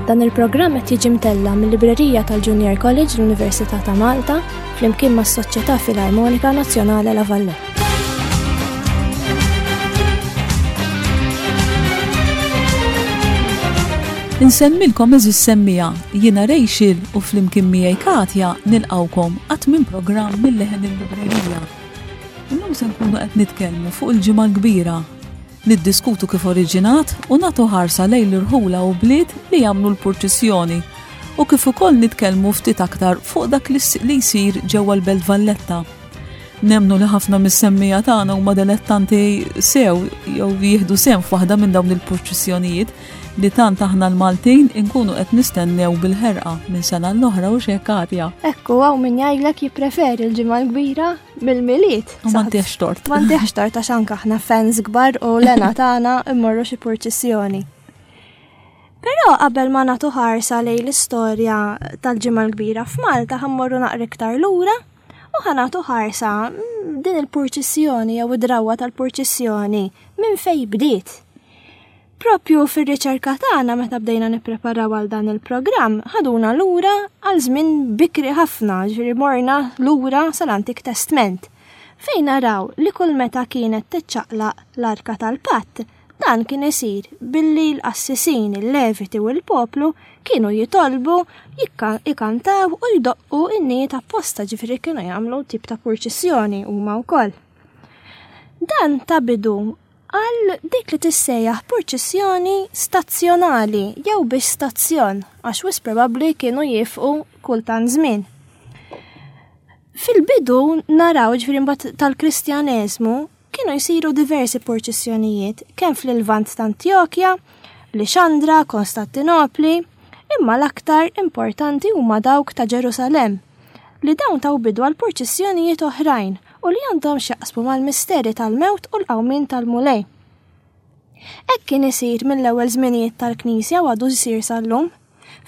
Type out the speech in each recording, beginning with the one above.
Dan il-programm qed jiġi mtella mill-Librerija tal-Junior College l-Università ta' Malta flimkien mas-Soċjetà Filarmonika Nazzjonale La Valletta. Insemmilkom eżis semmija, jiena Rachel u flimkien miegħi Katja nilqawkom għat minn programm mill-leħen il-librerija. Illum se nkunu qed nitkellmu fuq il-ġimgħa l-kbira, niddiskutu kif oriġinat u nagħtu ħarsa lejn l-irħula u bliet li jagħmlu l-purċissjoni u kif ukoll nitkellmu ftit aktar fuq dak li jsir ġewwa l-Belt Valletta. Nemmnu li ħafna mis-semmiegħa tagħna huma delettanti sew jew jieħdu sehem f'waħda minn dawn il-purċissjonijiet li tant aħna l-Maltin inkunu qed nistennew bil-ħerqa minn sena l-oħra u xek Katja. Ekku hawn min jgħidlek jippreferi l-ġimgħa l-kbira mill-Milied. U m'għandix tort. M'għandix tort għax anke aħna fans kbar u l-għena tagħna immorru xi purċissjoni. Però qabel ma nagħtu ħarsa lejn l-istorja tal-ġimgħa l-kbira f'Malta ħammorru naqra iktar lura U ħa nagħtu ħarsa din il-purċissjoni jew id-drawwa tal-purċissjoni minn fejn bdiet. Propju fir-riċerka tagħna meta bdejna nippreparaw għal dan il-programm, ħaduna lura għal żmien bikri ħafna, ġifieri morna lura sal-Antik Testment, fejn naraw li kull meta kienet tiċċaqlaq l-Arka tal-Patt, Dan kien isir billi l-qassisin, il-Leviti u l-poplu kienu jitolbu, ikantaw u jdoqqu innijiet apposta ġifieri kienu jagħmlu tip ta' purċissjoni huma wkoll. Dan ta bidu għal dik li tissejjaħ purċissjoni stazzjonali jew biex stazzjon għax wis probabbli kienu jifqu kultant żmien. Fil-bidu naraw ġifieri mbagħad tal-Kristjaneżmu Kienu jsiru diversi purċissjonijiet kemm fl-Lvant t'Antjokja, Lixandra, Konstantinopli, imma l-aktar importanti huma dawk ta' Ġerusalemm, li dawn taw bidu għal purċissjonijiet oħrajn u li għandhom x'jaqsmu mal-misteri tal-mewt u l-qawmien tal-Mulej. Hekk kien isir mill-ewwel żminijiet tal-Knisja u għadu jsir sal-lum.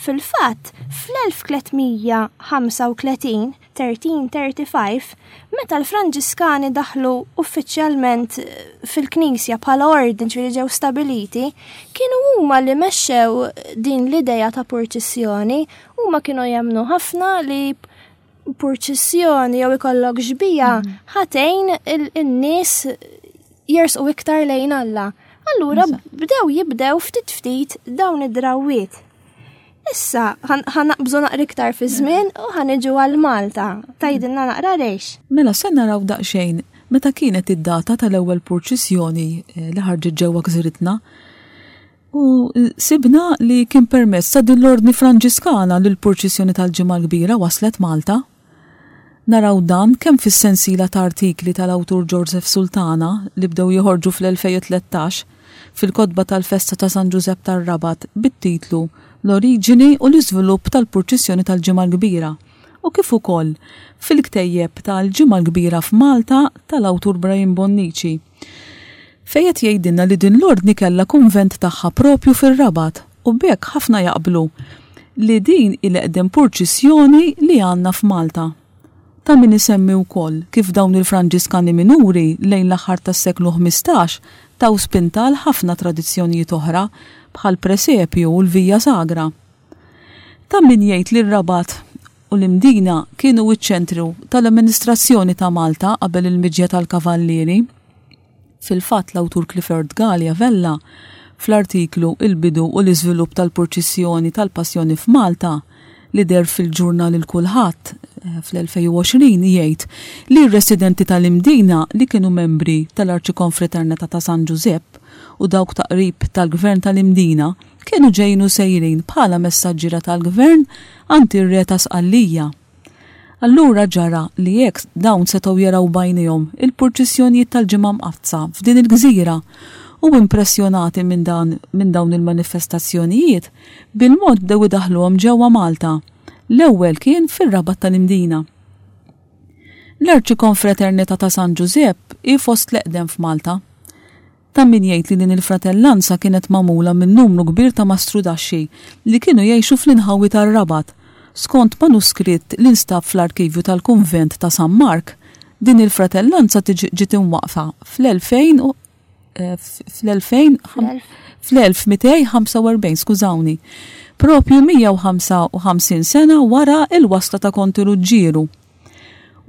Fil-fatt, fl-1335, 1335, meta l-Franġiskani daħlu uffiċjalment fil-Knisja bħala ordni ġifieri ġew stabiliti, kienu huma li mexxew din l-idea ta' purċissjoni, huma kienu jemmnu ħafna li purċissjoni jew ikollok xbija mm. ħatejn in-nies jersqu iktar lejn Alla. Allura bdew jibdew ftit ftit dawn id-drawwiet. Issa ħanaqbżu naqra iktar fi żmien u ħaniġu għal Malta. Tajdilna naqra rejx. Mela se naraw daqsxejn meta kienet id-data tal-ewwel purċissjoni eh, li ħarġet ġewwa gżiritna. U sibna li kien permezz ta' din l-Ordni Franġiskana li l-purċissjoni tal-Ġimgħa l-Kbira waslet Malta. Naraw dan kemm fis-sensiela ta' artikli tal-awtur Joseph Sultana li bdew joħorġu fl-2013 fil-kotba tal-festa ta' San Ġużepp tar-Rabat bit-titlu L-Oriġini u l-Iżvilupp tal-Purċissjoni tal-Ġimgħa l-Kbira u kif ukoll fil-ktejjeb ta' L-Ġimgħa l-Kbira f'Malta tal-awtur Brian Bonnici. Fejn qed jgħidilna li din l-Ordni kellha kunvent tagħha propju fir-Rabat u b'hekk ħafna jaqblu li din hi l-eqdem purċissjoni li għandna f'Malta. Ta' min isemmi wkoll kif dawn il-Franġiskani Minuri lejn l-aħħar tas-seklu 15 taw spinta għal ħafna tradizzjonijiet oħra bħall-presepju u l-Via Sagra. Ta' min jgħid li r-Rabat u l-Imdina kienu ċ-ċentru tal-amministrazzjoni ta' Malta qabel il-miġja tal-Kavallieri. Fil-fatt l-awtur Clifford Galea Vella fl-artiklu Il-bidu u l-iżvilupp tal-purċissjoni tal-Passjoni f'Malta li deher fil-ġurnal Il-Kulħadd eh, fl-2020 jgħid li r-residenti tal-Imdina li kienu membri tal-Arċikonfraternità ta' San Ġużepp u dawk ta' qrib tal-Gvern tal-Imdina kienu ġejjin u sejrin bħala messaġġiera tal-Gvern għand ir-Re ta' Sqallija. Allura ġara li hekk dawn setgħu jaraw b'għajnejhom il-purċissjonijiet tal-Ġimgħa Mqaddsa f'din il-gżira u impressjonati minn dan minn dawn il-manifestazzjonijiet, bil-mod bdew idaħħluhom ġewwa Malta. L-ewwel kien fir-Rabat tal-Imdina. L-Arċikonfraternità ta' San Ġużepp hi fost l-eqdem f'Malta. Ta' min jgħid li din il-fratellanza kienet magħmula minn numru kbir ta' mastrudaxxi li kienu jgħixu fl-inħawi tar-Rabat. Skont manuskritt li nstab fl-arkivju tal-kunvent ta' San Mark, din il-fratellanza ġiet imwaqqfa fl-2000 u. fl-2000 fl-1245, skużawni, propju 155 sena wara il-wasla ta' Konti Ruġġieru.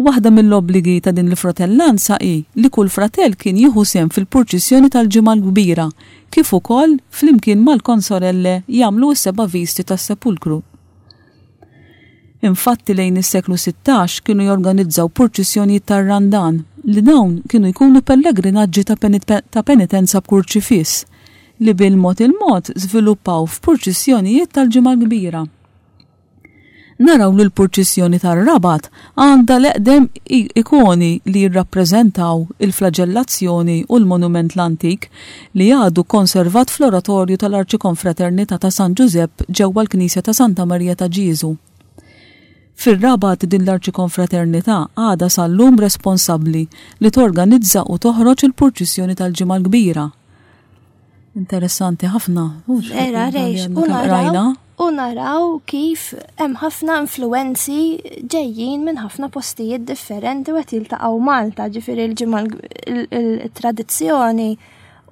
Waħda mill-obbligi ta' din il-fratellanza hi li kull fratell kien jieħu sehem fil-purċissjoni tal-Ġimgħa l-Kbira, kif ukoll flimkien mal-konsorelle jagħmlu s-seba' visti tas-Sepulkru. Infatti lejn is-seklu 16 kienu jorganizzaw purċissjonijiet tar-Randan li dawn kienu jkunu pellegrinaġġi ta' penitenza b'kurċifiss li bil-mod il-mod żviluppaw f'purċissjonijiet tal-Ġimgħa l-Kbira. Naraw li l-purċissjoni tar-Rabat għandha l-eqdem ikoni li jirrappreżentaw il-flaġellazzjoni u l-monument l-antik li għadu konservat fl-Oratorju tal-Arċikonfraternità ta' San Ġużepp ġewwa l-Knisja ta' Santa Marija ta' Ġieżu. Fir-Rabat din l-Arċikonfraternità għadha sal-lum responsabbli li torganizza u toħroġ il-purċissjoni tal-Ġimgħa l-Kbira. Interessanti ħafna. Era, rejx, u naraw, u naraw kif hemm ħafna influenzi ġejjin minn ħafna postijiet differenti u qed jiltaqgħu Malta, ġifieri l-ġimgħa il-tradizzjoni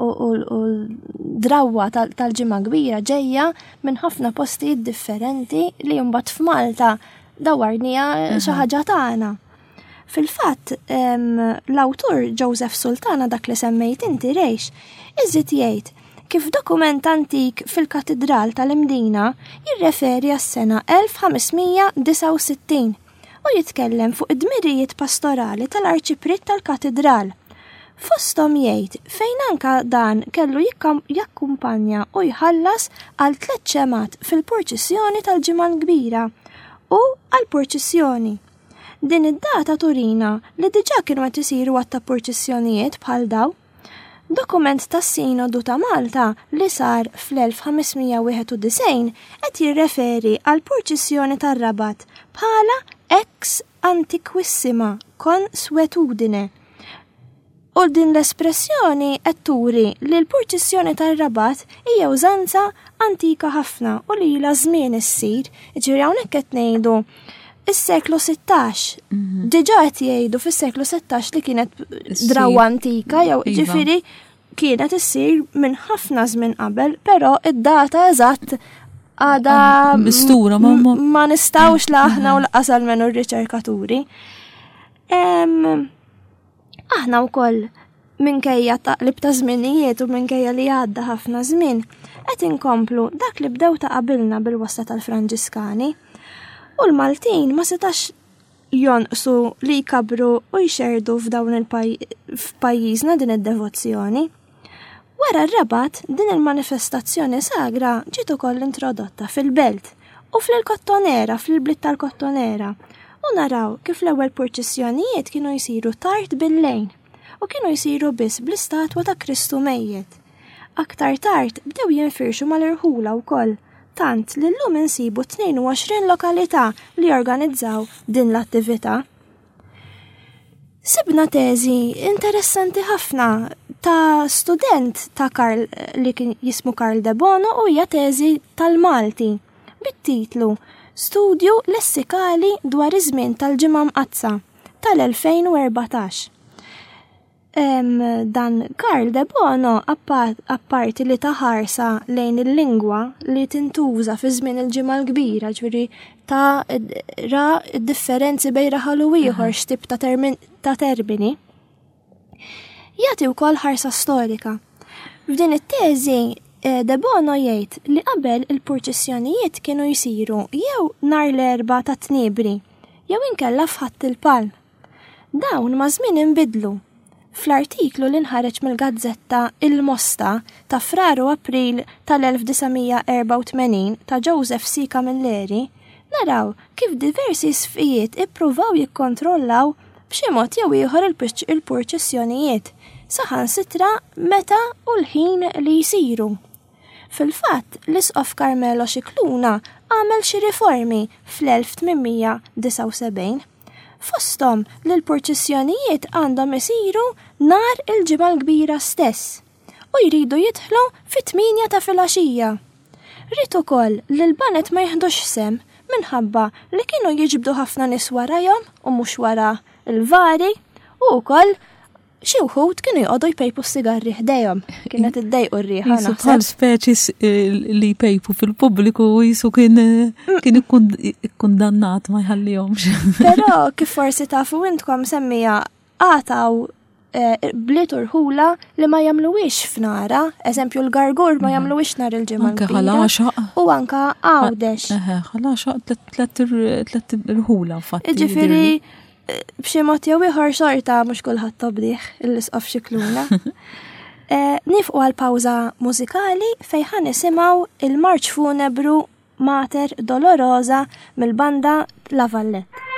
u l-drawwa tal-ġimgħa kbira ġejja minn ħafna postijiet differenti li mbagħad f'Malta dawarnija xi ħaġa tagħna. Fil-fatt, l-awtur Joseph Sultana dak li semmejt inti rejx, iżid jgħid kif dokument antik fil-Katidral tal-Imdina jirreferi għas-sena 1569 u jitkellem fuq id-dmirijiet pastorali tal-Arċipriet tal-Katidral. Fosthom jgħid fejn anka dan kellu jakkumpanja u jħallas għal tliet ċemat fil-purċissjoni tal-Ġimgħa l-Kbira u għall-purċissjoni. Din id-data turina li diġà kienu qed isiru għadd ta' purċissjonijiet bħal daw. Dokument tas-Sinodu ta' Malta li sar fl-1591 qed jirreferi għall-purċissjoni tar-Rabat bħala ex antiquissima consuetudine. U din l-espressjoni qed turi li l-purċissjoni tar-Rabat hija użanza antika ħafna u li ilha żmien issir. Jiġifieri hawnhekk qed ngħidu is-seklu 16. Mhm. Diġà qed jgħidu fis-seklu 16 li kienet drawwa antika jew iva. ġifieri kienet issir minn ħafna żmien qabel, però id-data eżatt għada mistura ma, ma nistawx la aħna u laqas almenu r-riċerkaturi. Aħna wkoll minkejja taqlib ta' żminijiet u minkejja li għadda ħafna żmien, qed inkomplu dak li bdew ta' qabilna bil-wasla tal-Franġiskani. U l-Maltin ma setax jonqsu li jkabru u jxerdu f'dawn il-pajjiżna din id-devozzjoni. Wara r-Rabat, din il-manifestazzjoni sagra ġiet ukoll introdotta fil-belt u fl-Kottonera, fl-bliet tal-Kottonera, u naraw kif l-ewwel purċissjonijiet kienu jsiru tard bil-lejl u kienu jsiru biss bl-istatwa ta' Kristu mejjet. Aktar tard bdew jinfirxu mal-irħula wkoll, tant li llum insibu 22 lokalità li jorganizzaw din l-attività. Sibna teżi interessanti ħafna ta' student ta' Karl li kien jismu Karl De Bono u hija teżi tal-Malti bit-titlu Studju lessikali dwar iż-żmien tal-Ġimgħa Mqaddsa tal-2014. Dan Karl De Bono apparti li ta ħarsa lejn il-lingwa li tintuża fi żmien il-Ġimgħa l-Kbira, ġifieri ta' ra differenzi bejn raħal u ieħor x'tip ta' ta' termini. Jagħti wkoll ħarsa storika. F'din it-teżi eh, De Bono jgħid li qabel il-purċissjonijiet kienu jsiru jew nhar l-erba ta' tniebri jew inkella f'Ħadd il-Palm. Dawn maż-żmien inbidlu. Fl-artiklu li nħareġ mill-gazzetta Il-Mosta ta' Frar u April tal-1984 ta' Joseph C. Camilleri, naraw kif diversi isqfijiet ippruvaw jikkontrollaw b'xi mod jew ieħor il-purċissjonijiet, saħansitra meta u l-ħin li jsiru. Fil-fatt, l-Isqof Carmelo Scicluna għamel xi riformi fl-1879. Fosthom li l-purċissjonijiet għandhom isiru nhar il-Ġimgħa l-Kbira stess u jridu jidħlu fit-tmienja ta' filgħaxija. Ried ukoll li l-baned ma jiħdux sehem minħabba li kienu jiġbdu ħafna nies warajhom u mhux wara l-vari u wkoll. Xi wħud kienu joqogħdu jpejpu s-sigarri ħdejhom, kienet iddejqu r-riħa. Jisu bħal speċi eh, li jpejpu fil-pubbliku jisu kien eh, kien ikkundannat ma jħallihomx. Però kif forsi tafu intkom semmija għataw eh, bliet urħula li ma jagħmluwiex f'nara, eżempju l-gargur ma mhm. jagħmluwiex nhar il-ġimgħa. Anke ħalaxaq. U anka għawdex. Ħalaxaq tlet irħula fatti. Ġifieri B'xi mod jew ieħor xorta mhux kulħadd tobdih l-isqof Xikluna. Eh, nifqu għal pawża mużikali fejn ħa nisimgħu il-marċ funebru Mater Dolorosa mill-banda La Vallette.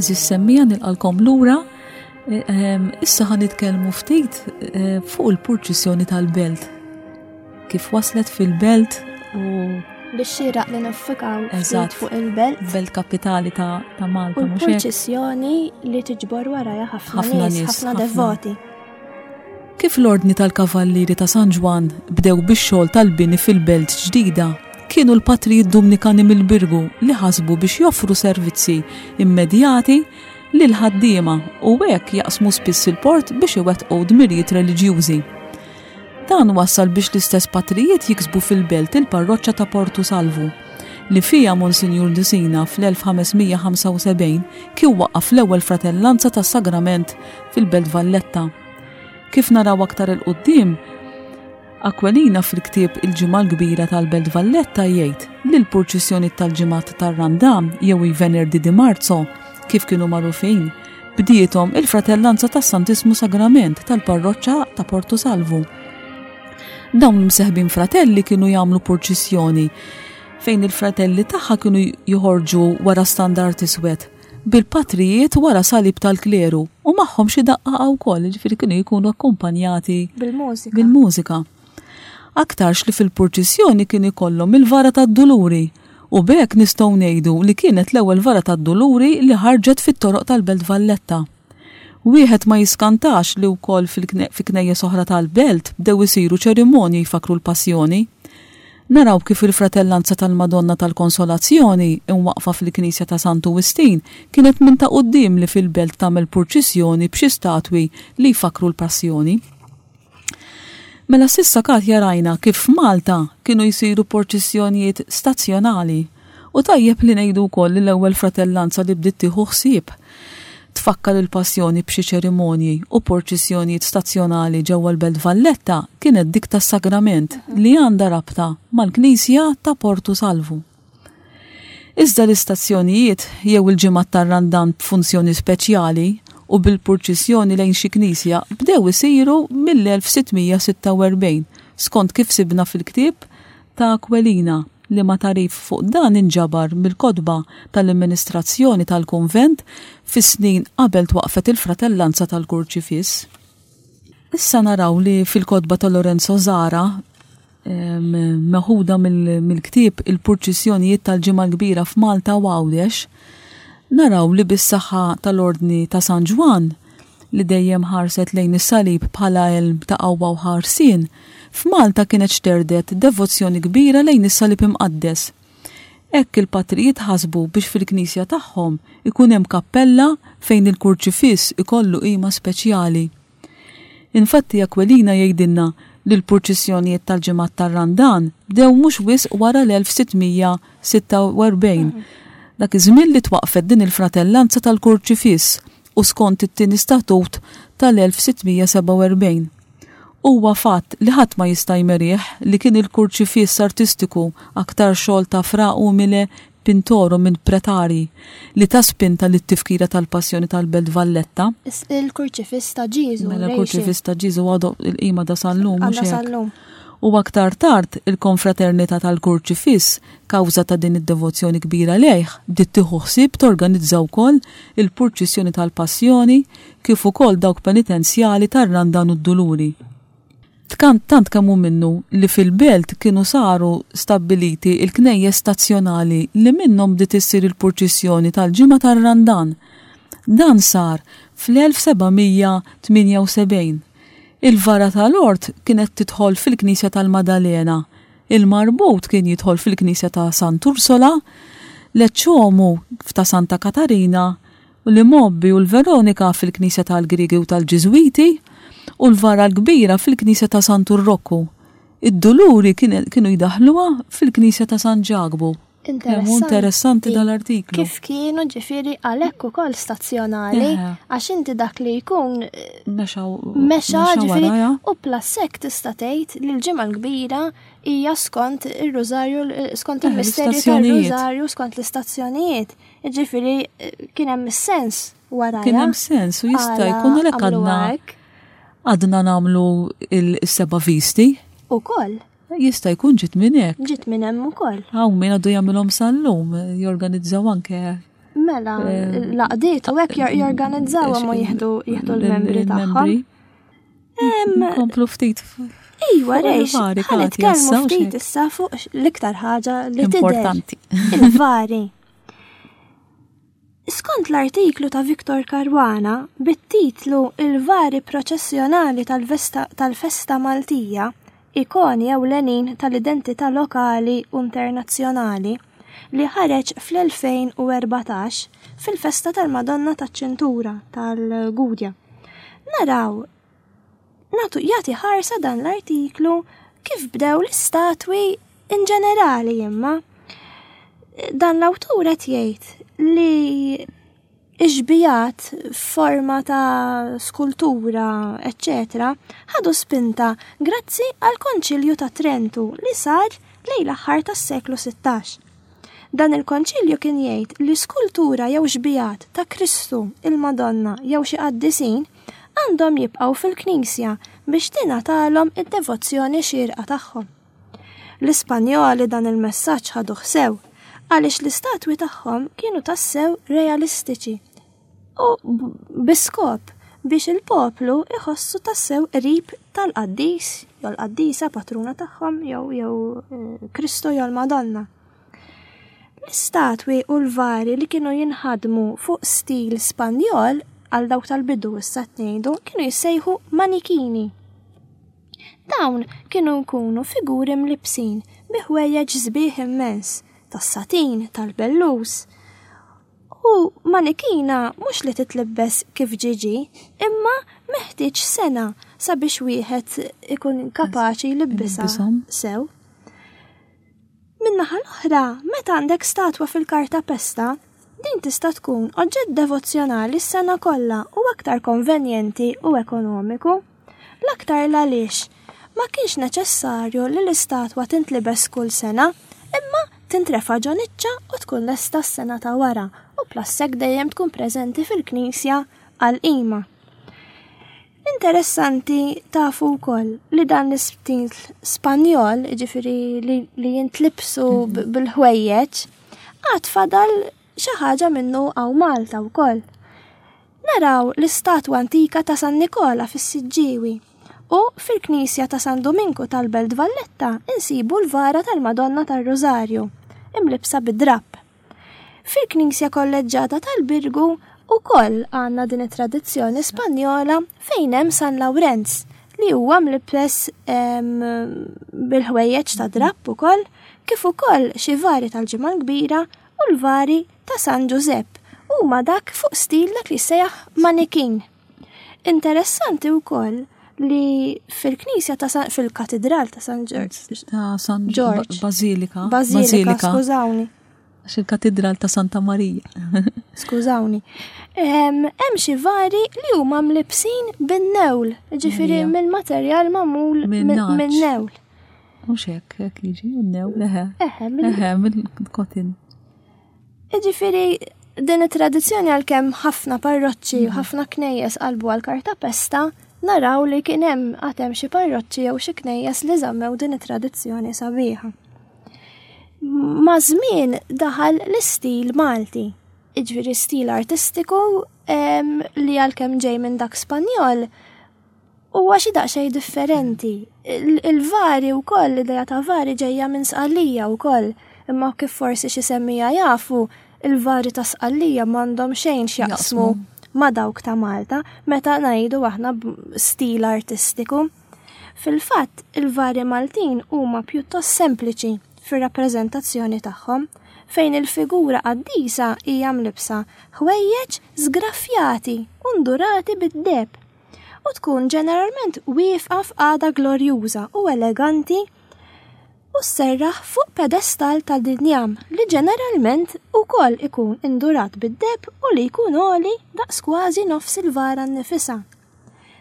Eżis semmija nilqalkom lura. E, ehm, issa ħan nitkellmu ftit e, fuq il-purċissjoni tal-belt. Kif waslet fil-belt u biex xieraq li niffikaw ftit fuq il-belt. Belt kapitali ta', ta Malta. U l-purċissjoni li tiġbor warajha ħafna nies, ħafna devoti. Kif l-Ordni tal-Kavallieri ta' San Ġwann bdew bix-xogħol tal-bini fil-belt ġdida, kienu l-patrijiet Dumnikani mill-Birgu li ħasbu biex joffru servizzi immedjati lill-ħaddiema u hekk jaqsmu spiss il-port biex iwettqu dmirijiet reliġjużi. Dan wassal biex l-istess patrijiet jiksbu fil-belt il-parroċċa ta' Portu Salvu, li fiha Monsinjur Dusina fl-1575 kien waqqaf l-ewwel fratellanza tas-Sagrament fil-Belt Valletta. Kif naraw aktar 'il quddiem, Aquilina fil-ktieb Il-Ġimgħa l-Kbira tal-Belt Valletta jgħid li l-purċissjoniet tal-Ġimgħat tar-Randan jew i Venerdì di Marzo, kif kienu magħrufin, bdiethom il-Fratellanza tas-Santissmu Sagrament tal-Parroċċa ta' Porto Salvu. Dawn l-imseħbin fratelli kienu jagħmlu purċissjoni fejn il-fratelli tagħha kienu joħorġu wara standard iswed bil-patrijiet wara salib tal-kleru u magħhom xi daqqaqa wkoll, jiġifieri kienu jkunu akkumpanjati bil-mużika. Bil-mużika. Aktarx li fil-purċissjoni kien ikollhom il-vara tad-Duluri u b'hekk nistgħu ngħidu li kienet l-ewwel vara tad-Duluri li ħarġet fit-toroq tal-Belt Valletta. Wieħed ma jiskantax li wkoll fi knejjes oħra tal-belt bdew isiru ċerimonji jfakkru l-Passjoni. Naraw kif il-Fratellanza tal-Madonna tal-Konsolazzjoni, imwaqqfa fil-knisja ta' Santu Wistin, kienet minn ta' quddiem li fil-belt tagħmel purċissjoni b'xi statwi li jfakkru l-Passjoni. Mela s'issa Katja rajna kif f'Malta kienu jsiru porċissjonijiet stazzjonali u tajjeb li ngħidu wkoll li l-ewwel fratellanza li bdiet tieħu ħsieb tfakkar il-Passjoni b'xi ċerimonji u porċissjonijiet stazzjonali ġewwa l-Belt Valletta kienet dik tas-Sagrament li għandha rabta mal-Knisja ta' Portu Salvu. Iżda l-istazzjonijiet jew il-ġimgħat tar-Randan b'funzjoni speċjali u bil-purċissjoni lejn xi knisja bdew isiru mill-1646 skont kif sibna fil-ktieb ta' Aquilina liema tagħrif fuq dan inġabar mill-kotba tal-amministrazzjoni tal-kunvent fis-snin qabel twaqqfet il-Fratellanza tal-Kurċifiss. Issa naraw li fil-kotba ta' Lorenzo Zara meħuda mill-ktieb Il-Purċissjonijiet tal-Ġimgħa l-Kbira f'Malta u Għawdex, naraw li bis-saħħa tal-Ordni ta' San Ġwann, li dejjem ħarset lejn is-salib bħala għelm ta' qawwa u ħarsien, f'Malta kienet xterdet devozzjoni kbira lejn is-Salib Imqaddes. Hekk il-patrijiet ħasbu biex fil-knisja tagħhom ikun hemm kappella fejn il-Kurċifiss ikollu qima speċjali. Infatti Aquilina jgħidilna li l-purċissjonijiet tal-ġimgħat tar-Randan bdew mhux wisq wara l-1646, dak iż-żmien li twaqqfet din il-fratellanza tal-Kurċifiss u skont it-tieni statut tal-1647. Huwa fatt li ħadd ma jista' jmerih li kien il-kurċifiss artistiku aktar xogħol ta' Fra Umile Pintoru minn Pretari li ta spinta lit-tifkira tal-Passjoni tal-Belt Valletta. Il-Kurċifiss ta' Ġieżu. Mela l-Kurċifiss ta' Ġieżu għadu il-qima da sal-lum mhux hekk. Sal-lum. U aktar tard il-Konfraternità tal-Kurċifiss, kawża ta' din id-devozzjoni kbira lejh, bdiet tieħu ħsieb torganizza wkoll il-purċissjoni tal-Passjoni kif ukoll dawk penitenzjali tar-Randan u d-Duluri. Tkant tant kemm hu minnu li fil-belt kienu saru stabbiliti l-knejjes stazzjonali li minnhom bdiet issir il-purċissjoni tal-Ġimgħa tar-Randan. Dan sar fl-1778. Il-vara tal-ort kienet tidħol fil-knisja tal-Madalena, il-marbut kien jidħol fil-knisja ta' Sant'Ursola, l-Eċċomu f'ta' Santa Katarina, u l-Imgħobbi u l-Veronika fil-knisja tal-Griegi u tal-Ġiżwiti, u l-Vara l-Kbira fil-knisja ta' Santu Rokku. Id-Duluri kienu jdaħħluha fil-knisja ta' San Ġakbu. Kemm hu interessanti dal-artiklu. Kif kienu ġifieri għalhekk ukoll stazzjonali, għax inti dak li jkun mexa mexa ġifieri u plus hekk tista' tgħid li l-Ġimgħa l-Kbira hija skont ir-Rużarju skont il-misterju tar-Rużarju skont l-istazzjonijiet. Ġifieri kien hemm is-sens wara. Kien hemm sens u jista' jkun għalhekk għadna għadna nagħmlu il-seba' visti. Ukoll. Jista' jkun ġiet minn hekk. Ġiet minn hemm ukoll. Hawn min għadu jagħmilhom sal-lum, jorganizzaw anke. Mela, l-għaqdiet u hekk jorganizzawhom u jieħdu jieħdu l-membri tagħhom. Komplu ftit. Iva, rejx, ħa nitkellmu ftit issa fuq l-iktar ħaġa li importanti. Il-vari. Skont l-artiklu ta' Victor Caruana bit-titlu Il-vari proċessjonali tal-festa Maltija, ikoni ewlenin tal-identità lokali u internazzjonali, li ħareġ fl-2014 fil-festa tal-Madonna taċ-Ċintura tal-Gudja. Naraw natu jagħti ħarsa dan l-artiklu kif bdew l-istatwi in ġenerali imma dan l-awtur qed jgħid li ix-xbijat f'forma ta' skultura, eċċetera, ħadu spinta grazzi għall-Konċilju ta' Trentu li sar lejn l-aħħar tas-seklu 16. Dan il-konċilju kien jgħid li skultura jew xbijat ta' Kristu, il-Madonna jew xi qaddisin għandhom jibqgħu fil-knisja biex tingħatalhom id-devozzjoni xierqa tagħhom. L-Ispanjoli dan il-messaġġ ħaduh sew, għaliex l-istatwi tagħhom kienu tassew realistiċi u bi skop biex il-poplu iħossu tassew qrib tal-qaddis jew l-qaddisa patruna tagħhom jew jew eh, Kristu jew l-Madonna. L-istatwi u l-vari li kienu jinħadmu fuq stil Spanjol għal dawk tal-bidu issa tnejdu kienu jissejħu manikini. Dawn kienu jkunu figuri mlibbsin bi ħwejjeġ sbieħ immens, tas-satin, tal-bellus. U manikina mhux li titlibbes kif ġie ġie, imma meħtieġ sena sabiex wieħed ikun kapaċi jlibbisha sew. Min-naħa l-oħra, meta għandek statwa fil-kartapesta, din tista' tkun oġġett devozzjonali s-sena kollha u aktar konvenjenti u ekonomiku. L-aktar l-għaliex ma kienx neċessarju li l-istatwa tintlibes kull sena, imma tintrefa' ġo niċċa u tkun lesta s-sena ta' wara u plus hekk dejjem tkun preżenti fil-knisja għall-qima. Interessanti tafu wkoll li dan l-istil Spanjol, ġifieri li, li jintlibsu mhm. bil-ħwejjeġ, għad fadal xi ħaġa minnu għaw Malta wkoll. Naraw l-istatwa antika ta' San Nikola fis-Siġġiewi u fil-Knisja ta' San Dominku tal-Belt Valletta insibu l-vara tal-Madonna tar-Rożarju, imlibsa bid-drapp. Fil-Knisja Kolleġġata tal-Birgu wkoll għandna din it-tradizzjoni Spanjola fejn hemm San Lawrenz li huwa mlibbes bil-ħwejjeġ ta' drapp ukoll, kif ukoll xi vari tal-Ġimgħa l-Kbira u l-vari ta' San Ġużepp huma dak fuq stil dak li jissejjaħ manikin. Interessanti wkoll li fil-knisja ta' San, fil-katedral ta' San Ġorġ. Ta' San Ġorġ. Bazilika. Bazilika, skużawni. Għax il-katedral ta' Santa Marija. Skużawni. Hemm xi vari li huma mlibsin bin-newl, ġifieri mill-materjal magħmul minn-newl. Mhux hekk, hekk jiġi, n-newl, eħe. Eħe, mill-kotin. Jiġifieri din it-tradizzjoni għalkemm ħafna parroċċi u mhm. ħafna knejjes qalbu għal kartapesta, naraw li kien hemm għad hemm xi parroċċi jew xi knejjes li żammew din it-tradizzjoni sabiħa. Ma' żmien daħal l-istil Malti, jiġifieri stil artistiku li għalkemm ġej minn dak Spanjol, huwa xi daqsxejn differenti. Il-vari wkoll, l-idea ta' vari ġejja minn Sqallija wkoll, imma kif forsi xi semmija jafu, il-vari ta' Sqallija m'għandhom xejn x'jaqsmu ma' dawk ta' Malta meta ngħidu aħna stil artistiku. Fil-fatt, il-vari Maltin huma pjuttost sempliċi fir-rappreżentazzjoni tagħhom, fejn il-figura qaddisa hija mlibbsa ħwejjeġ żgraffjati u ndurati bid-deheb. u tkun ġeneralment wieqfa f'qagħda glorjuża u eleganti u sserraħ fuq pedestall tal-injam li ġeneralment ukoll ikun indurat bid-deheb u li jkun għoli daqs kważi nofs il-vara nnifisha.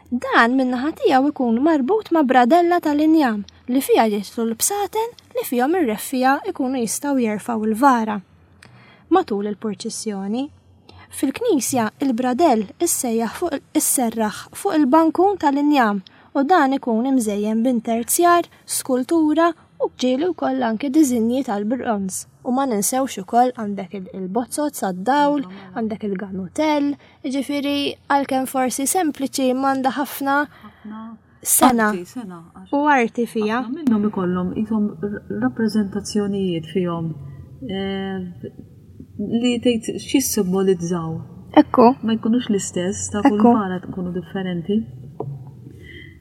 Dan min-naħa tiegħu ikun marbut ma' bradella tal-injam li fiha jidħlu l-bsaten li fihom ir-reffiegħa jkunu jistgħu jerfgħu l-vara matul il-purċissjoni. Fil-knisja, il-bradell issejjaħ fuq isserraħ fuq il-bankun tal-injam U dan ikun imżejjen b'interzjar, skultura u ġieli wkoll anke diżinji tal-bronż. U ma ninsewx ukoll għandek il-bozzot sad-dawl, għandek il-ganutell, jiġifieri għalkemm forsi sempliċi m'għandha ħafna sena u arti fija. Minnhom ikollhom qishom rappreżentazzjonijiet fihom eh, li tgħid x'jissimbolizzaw. Ekku. Ma jkunux l-istess ta' kull mara tkunu differenti.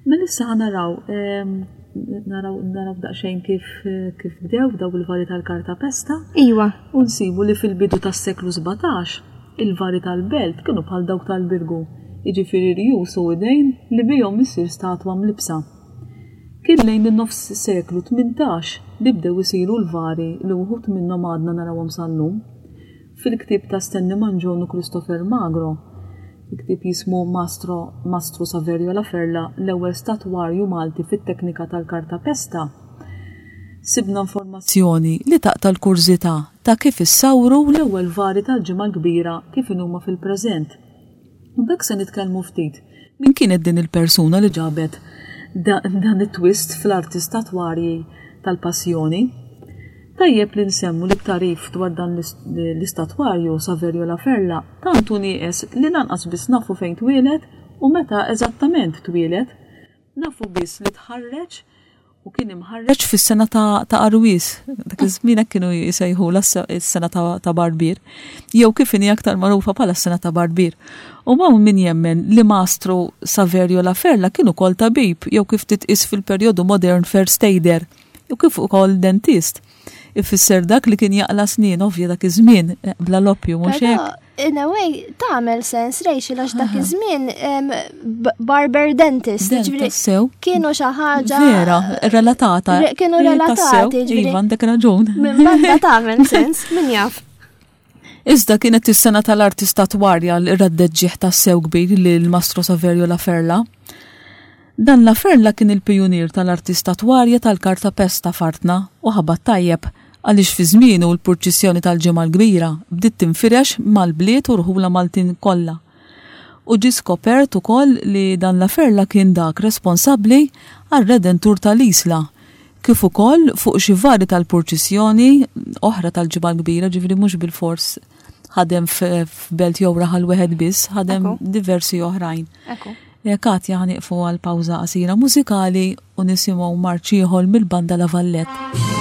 Mela issa ħa naraw ehm, naraw naraw daqsxejn kif kif bdew daw il-vari tal-karta pesta. Iwa. U nsibu li fil-bidu tas-seklu 17 il-vari tal-belt kienu bħal dawk tal-Birgu, jiġifieri rjus u idejn li bihom issir statwa mlibbsa. Kien lejn in-nofs seklu 18 li bdew isiru l-vari li wħud minnhom għadna narawhom sal-lum. Fil-ktieb ta' Stanley Mangion u Christopher Magro, il-ktieb jismu Mastro Mastru Saverio La Ferla, l-ewwel statwarju Malti fit-teknika tal-kartapesta, sibna informazzjoni li taqta' l-kurżità ta' kif issawru l-ewwel vari tal-Ġimgħa l-Kbira kif inhuma fil-preżent. U b'hekk se nitkellmu ftit min kienet din il-persuna li ġabet dan it-twist fl-arti statwarji tal-Passjoni. Tajjeb li nsemmu li t-tagħrif dwar dan l-istatwarju, Saverio La Ferla, tant hu nieqes li lanqas biss nafu fejn twieled u meta eżattament twieled. Nafu biss li tħarreġ u kien imħarreġ fis-sena ta' Arwies, dak iż-żmien hekk kienu jsejħulha s-sena ta' Barbier, jew kif inhi aktar magħrufa bħala s-sena ta' Barbier. U hawn min jemmen li Mastru Saverio La Ferla kien ukoll tabib jew kif titqies fil-perjodu modern first aider. U kif ukoll dentist. Ifisser dak li kien jaqla' snien, ovvja dak iż-żmien, eh, bla loppju mhux hekk. In a way, tagħmel sens Rachel għax dak iż-żmien barber dentist. Sew. Kienu xi ħaġa. Vera, relatata. Kienu relatati. Iva, għandek raġun. Minn banda tagħmel sens, min jaf. Iżda kienet is-sena tal-arti statwarja li raddet ġieħ tassew kbir lil Mastro Saverio La Ferla. Dan La Ferla kien il-pijunier tal-arti statwarja tal-kartapesta f'artna u ħabat tajjeb għaliex fi żmienu l-purċissjoni tal-Ġimgħa l-Kbira bdiet tinfirex mal-bliet u rħula Maltin kollha. U ġie skopert ukoll li dan La Ferla kien dak responsabbli għar-Redentur tal-Isla kif ukoll fuq xi vari tal-purċissjoni oħra tal-Ġimgħa l-Kbira, ġifieri mhux bilfors ħadem f'belt jew raħal wieħed biss, ħadem diversi oħrajn. Eh, Katja ħaniqfu għal pawża qasira mużikali u nisimgħu marċ ieħor mill-banda La Vallette.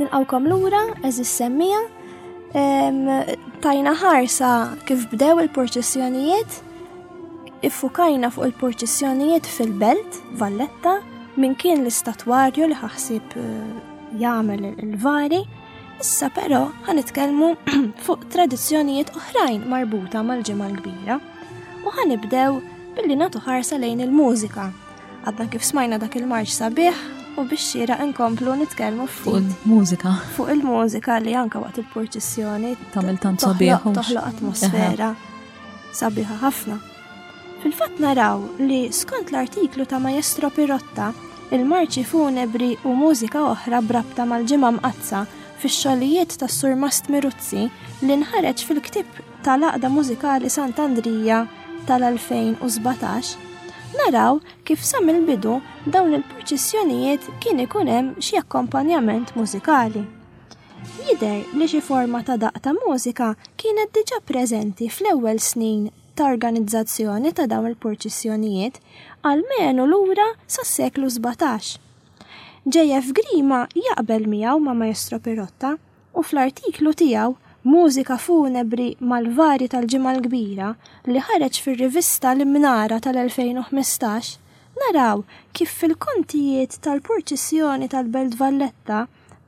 Nilqawkom lura, eżis semmija. Tajna ħarsa kif bdew il-purċissjonijiet, iffukajna fuq il-purċissjonijiet fil-belt, Valletta, min kien l-istatwarju li ħaħsib eh, jagħmel il-vari. Issa però ħanitkellmu fuq tradizzjonijiet oħrajn marbuta mal-ġimgħa l-kbira. U ħanibdew billi nagħtu ħarsa lejn il-mużika. Għadna kif smajna dak il-marċ sabiħ u biex xieraq inkomplu nitkellmu fuq il-mużika. Fuq il-mużika li anka waqt il-purċissjoni tagħmel tant sabiħ. Toħloq atmosfera sabiħa ħafna. Fil-fatt naraw li skont l-artiklu ta' Maestro Pirotta, il-marċi funebri u mużika oħra brabta mal-ġimgħa mqaddsa fix-xogħlijiet tas-Surmast Miruzzi li nħareġ fil-ktieb tal-Għaqda Mużikali Sant'Andrija tal-2017, naraw kif sa mill-bidu dawn il-purċissjonijiet kien ikun hemm xi akkompanjament mużikali. Jidher li xi forma ta' daqq ta' mużika kienet diġà preżenti fl-ewwel snin ta' organizzazzjoni ta' dawn il-purċissjonijiet, almenu lura sas-seklu 17. JF Grima jaqbel miegħu ma' Maestro Pirotta u fl-artiklu tiegħu Mużika Funebri mal-Vari tal-Ġimgħa l-Kbira li ħareġ fir-rivista L-Imnara tal-2015 naraw kif fil-kontijiet tal-purċissjoni tal-Belt Valletta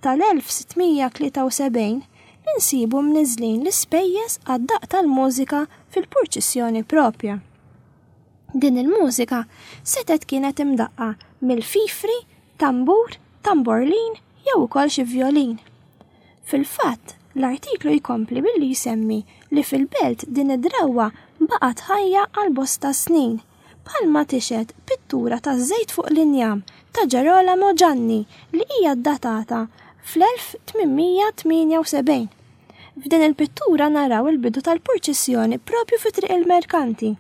tal-1673 insibu mniżżlin l-ispejjeż għad-daqq tal-mużika fil-purċissjoni propja. Din il-mużika setgħet kienet imdaqqa mill-fifri, tambur, tamborlin jew ukoll xi vjolin. Fil-fatt, l-artiklu jkompli billi jsemmi li fil-belt din id-drawwa baqgħet ħajja għal bosta snin, bħalma tixhed pittura taż-żejt fuq l-injam ta' Gerolamo Gianni li hija ddatata fl-1878. F'din il-pittura naraw il-bidu tal-purċissjoni propju fi Triq il-Merkanti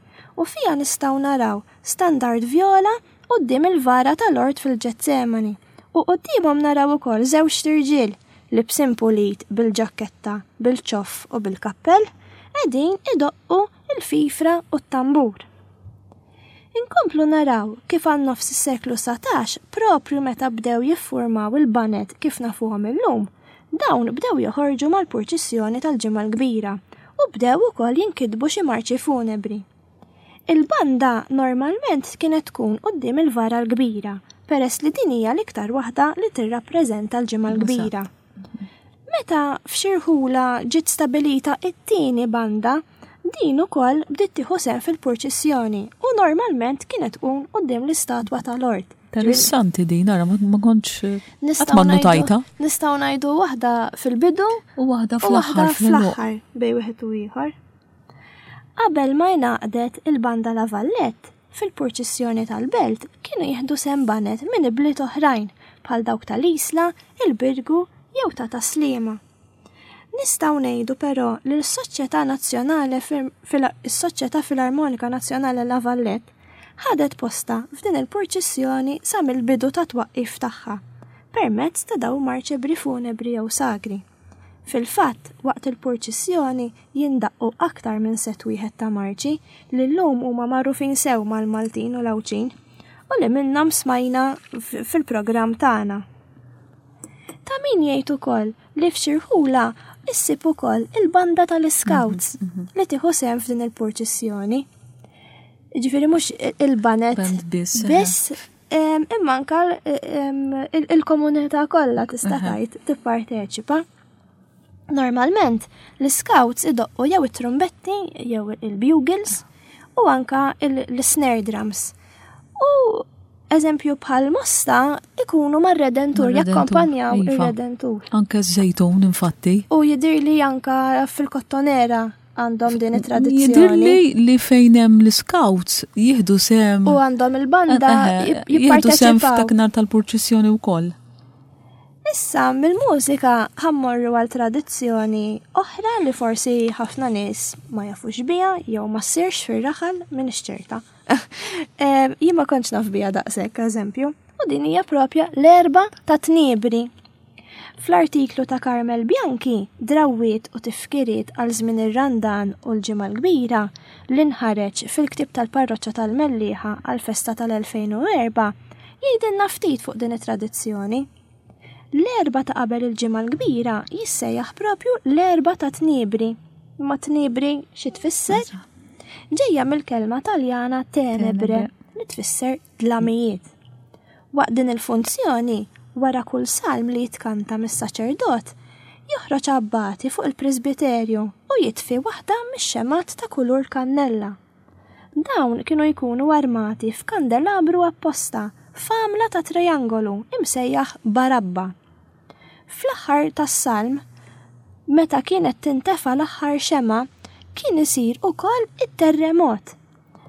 u fiha nistgħu naraw standard vjola quddiem il-vara ta' Lord fil-Ġetsemani u quddiemhom naraw ukoll żewġt irġiel, libsin pulit bil-ġakketta, bil-ċoff u bil-kappell, qegħdin idoqqu l-fifra u t-tambur. Inkomplu naraw kif għal nofs is-seklu 19, proprju meta bdew jiffurmaw il-baned kif nafuhom illum, dawn bdew joħorġu mal-purċissjoni tal-Ġimgħa l-Kbira u bdew ukoll jinkitbu xi marċi funebri. Il-banda normalment kienet tkun quddiem il-vara l-kbira, peress li din hija l-iktar waħda li tirrappreżenta l-Ġimgħa l-Kbira. Meta f'xi rħula ġiet stabilita t-tieni banda, din ukoll bdiet tieħu sehem fil-purċissjoni u normalment kienet tkun quddiem l-istatwa ta' Lord. Interessanti din, ara ma kontx qatt ma notajta. Nistgħu ngħidu waħda fil-bidu u waħda fl-aħħar fl-aħħar bejn wieħed u ieħor. Qabel ma ingħaqdet il-Banda La Vallette, fil-purċissjoni tal-belt kienu jieħdu sehem baned minn ibliet oħrajn bħal dawk tal-Isla, il-Birgu jew ta' Tas-Sliema. Nistgħu ngħidu però li l-Soċjetà Nazzjonale is-Soċjetà Filarmonika Nazzjonale La Vallette ħadet postha f'din il-purċissjoni sa mill-bidu tat-twaqqif tagħha permezz ta' dawn marċebri funebri jew sagri. Fil-fatt, waqt il-purċissjoni jindaqqu aktar minn sett wieħed ta' marċi li llum huma magħrufin sew mal-Maltin u l-Għawdxin u li minnhom smajna fil-programm tagħna. Ta' min jgħid ukoll li f'xi rħula issib ukoll il-banda tal-Iscouts mhm, mhm. li tieħu sehem f'din il-purċissjoni. Ġifieri mhux il-banet biss, biss Imma anka il-komunità kollha tista' tgħid tipparteċipa. Normalment l-scouts idoqqu jew it-trumbetti jew il-bugles u anka l-snare drums. U eżempju bħal mosta ikunu mar-redentur, jakkompanjaw iva. ir-redentur. Anke ż-żejtun infatti. U jidirli anka fil-kottonera għandhom din it-tradizzjoni. Jidirli li fejn hemm l-scouts jieħdu sehem. U għandhom il-banda eh, eh, eh, jieħdu sehem f'dak tal-purċissjoni wkoll. Issa mill-mużika ħammorru għal tradizzjoni oħra li forsi ħafna nies ma jafux biha jew ma ssirx fir-raħal minn ċerta. Jien ma kontx naf biha daqshekk eżempju. U din hija propja l-erba ta' tniebri. Fl-artiklu ta' Carmel Bianchi, Drawwiet u tifkiriet għal żmien ir-Randan u l-Ġimgħa l-Kbira, li nħareġ fil-ktieb tal-Parroċċa tal-Mellieħa għall-festa tal-2004, jgħidilna ftit fuq din it-tradizzjoni. L-Erbgħa ta' qabel il-Ġimgħa l-Kbira jissejjaħ propju l-Erbgħa ta' Tniebri. Imma tniebri xi tfisser? Ġejja mill-kelma Taljana tenebre li tfisser dlamijiet. Waqt din il-funzjoni, wara kull salm li jitkanta mis-saċerdot, joħroġ abbati fuq il-presbiterju u jitfi waħda mix-xemgħat ta' kulur kannella. Dawn kienu jkunu armati f'kandelabru apposta f'għamla ta' triangolu imsejjaħ barabba. Fl-aħħar tas-salm, meta kienet tintefa' l-aħħar xemgħa, kien isir ukoll it-terremot.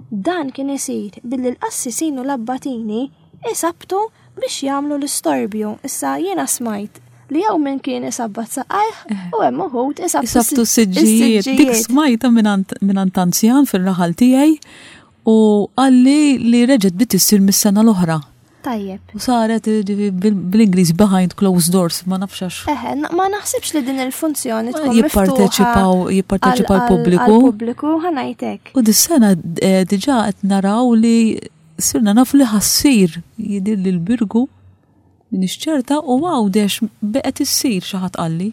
Dan kien isir billi l-qassisin u l-abbatini isabbtu biex jagħmlu l-istorbju. Issa jiena smajt li jew min kien isabbat saqajh u hemm uħud isabtu s-siġġijiet. Dik smajta minn anzjan fir-raħal tiegħi u qalli li reġgħet bdiet issir mis-sena l-oħra. Tajjeb. U saret bl-Ingliż behind closed doors, ma nafx għax. Eħe, ma naħsibx li din il-funzjoni tkun jipparteċipaw jipparteċipa l-pubbliku. Pubbliku ħanajtek. U dis-sena eh, diġà qed naraw li sirna nafu li ħassir jidir li l-Birgu minix ċerta u Għawdex beqgħet issir xi ħadd qalli.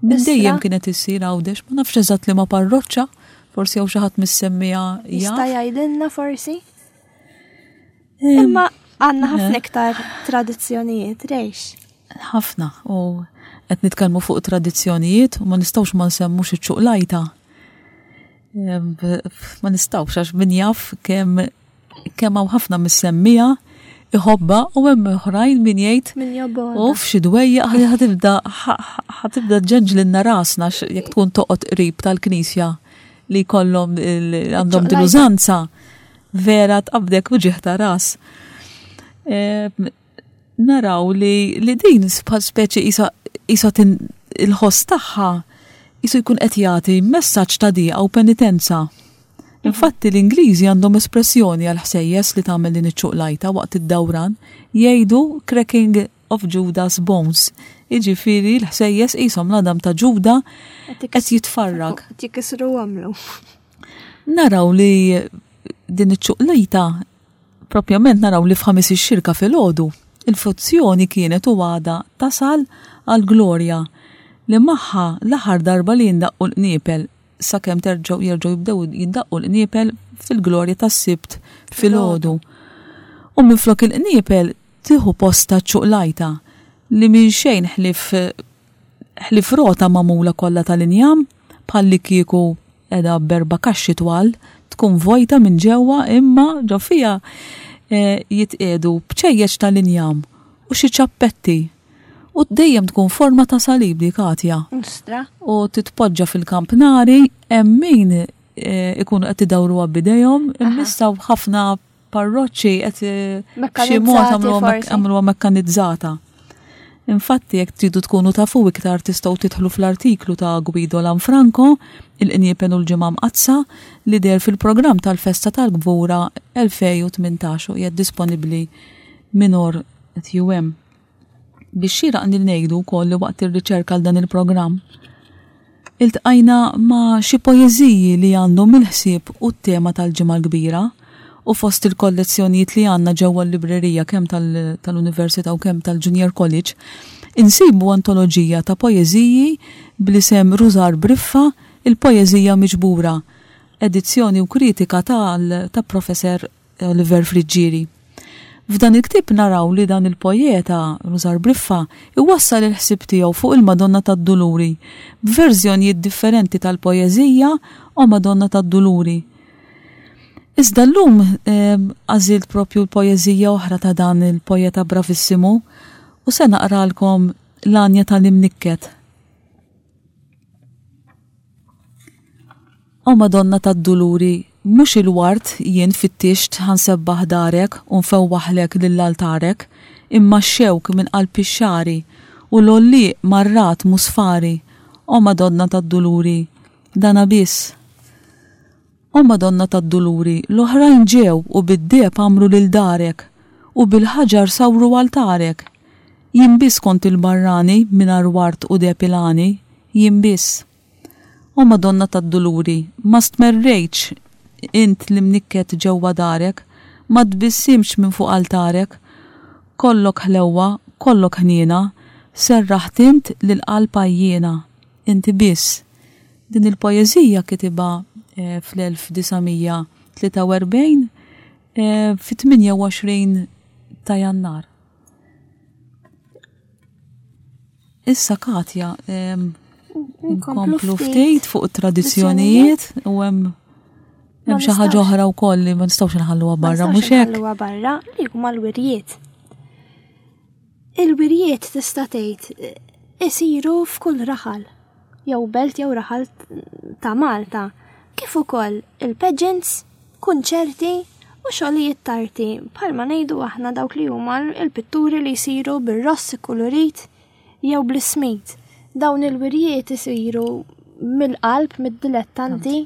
Minn dejjem kienet issir Għawdex, ma nafx eżatt li ma parroċċa, forsi hawn xi ħadd mis-semmija. Jista' jgħidilna forsi? Imma għandna ħafna iktar tradizzjonijiet, rejx. Ħafna, u qed nitkellmu fuq tradizzjonijiet u ma nistgħux ma nsemmux iċ-ċuqlajta. Ma nistgħux għax min jaf kemm kemm hawn ħafna mis-semmija iħobba u hemm oħrajn min jgħid min jobgħodha. U f'xi dwejja ħatibda ħatibda ġenġlinna rasna jekk tkun toqgħod qrib tal-knisja li jkollhom għandhom din użanza. Vera tqabdek uġigħ ta' ras. Naraw li, li din bħal speċi isa, isa il-ħoss tagħha jisu jkun qed jagħti messaġġ ta' diqa u penitenza. Infatti l-Ingliżi għandhom espressjoni għal ħsejjes li tagħmel din iċ-ċuqlajta waqt id-dawran jgħidu cracking of Judas bones. Jiġifieri l-ħsejjes qishom l-għadam ta' Ġuda qed jitfarrak. Qed jikisru għamlu. Naraw li din iċ-ċuqlejta propjament naraw li f'ħamis ix-xirka filgħodu il-funzjoni kienet u għadha tasal għall-glorja li magħha l-aħħar darba li jindaqqu l-qniepel sakemm terġgħu jerġgħu jibdew jindaqqu l-qniepel fil-glorja tas-Sibt filgħodu. U minflok il-qniepel tieħu postha ċ-ċuqlajta li minn xejn ħlief ħlief rota magħmula kollha tal-injam bħallikieku qiegħda b'erba' kaxxi twal, tkun vojta minn ġewwa imma ġo fiha jitqiegħdu bċejjeċ tal-injam u xi ċappetti. U dejjem tkun forma ta' salib dik għatja. Ostra. U titpoġġa fil-kampnari hemm min ikunu qed idawruha b'idejhom, imma issa ħafna parroċċi qed b'xi mod għamluha mekkanizzata. Infatti jekk tridu tkunu tafu iktar tistgħu tidħlu fl-artiklu ta' Guido Lanfranco, Il-Qniepen u l-Ġimgħa Mqaddsa, li deher fil-programm tal-Festa tal-Kbura 2018 u qiegħed disponibbli minn TUM. Bix-xieraq li ngħidu wkoll li waqt ir-riċerka għal dan il-programm, iltqajna ma' xi poeżiji li għandhom il-ħsieb u t-tema tal-Ġimgħa l-Kbira u fost il-kollezzjonijiet li għandna ġewwa l-librerija kemm tal-Università u kemm tal-Junior College, insibu antoloġija ta' poeżiji bl-isem Rużar Briffa, Il-Poeżija Miġbura, edizzjoni u kritika ta' Professor Oliver Friggieri. F'dan il-ktieb naraw li dan il-poeta, Rużar Briffa, iwassal il-ħsieb tiegħu fuq il-Madonna tad-Duluri b'verżjonijiet differenti tal-poeżija O Madonna tad-Duluri. Iżda llum għażilt propju l-poeżija oħra ta' dan il-poeta bravissimu u se naqralkom l-għanja tal-Imnikket. O Madonna tad-Duluri, mhux il-ward jien fittixt ħa nsebbaħ darek u nfewwaħlek lil altarek, imma x-xewk minn qalb ix-xagħri u l-għollieq mar-ragħad musfari, O Madonna tad-Duluri, dana biss. O Madonna tad-Duluri, l-oħrajn ġew u bid-deheb għammru lil darek, u bil-ħaġar sawru altarek. Jien biss kont il-barrani mingħajr ward u deheb il-għani, jien biss. O Madonna tad-Duluri, ma stmerrejtx int l-imnikket ġewwa darek, ma tbissimtx minn fuq altarek. Kollok ħlewwa, kollok ħniena. Serraħt int lill-qalb għajjiena, inti biss. Din il-poeżija kitibha fl-1943 fit-28 ta' Jannar. Issa Katja, nkomplu ftit fuq it-tradizzjonijiet u hemm hemm xi ħaġa oħra wkoll li ma nistgħux nħalluha barra mhux hekk. Nħalluha barra li huma l-wirjiet. Il-wirjiet tista' tgħid isiru f'kull raħal jew belt jew raħal ta' Malta, kif ukoll il-pageants kunċerti u xogħlijiet t'arti bħalma ngħidu aħna dawk li huma l-pitturi li jsiru bir-ross ikkulurit jew bl-ismid. Dawn il-wirjiet isiru mill-qalb, mid-dilettanti,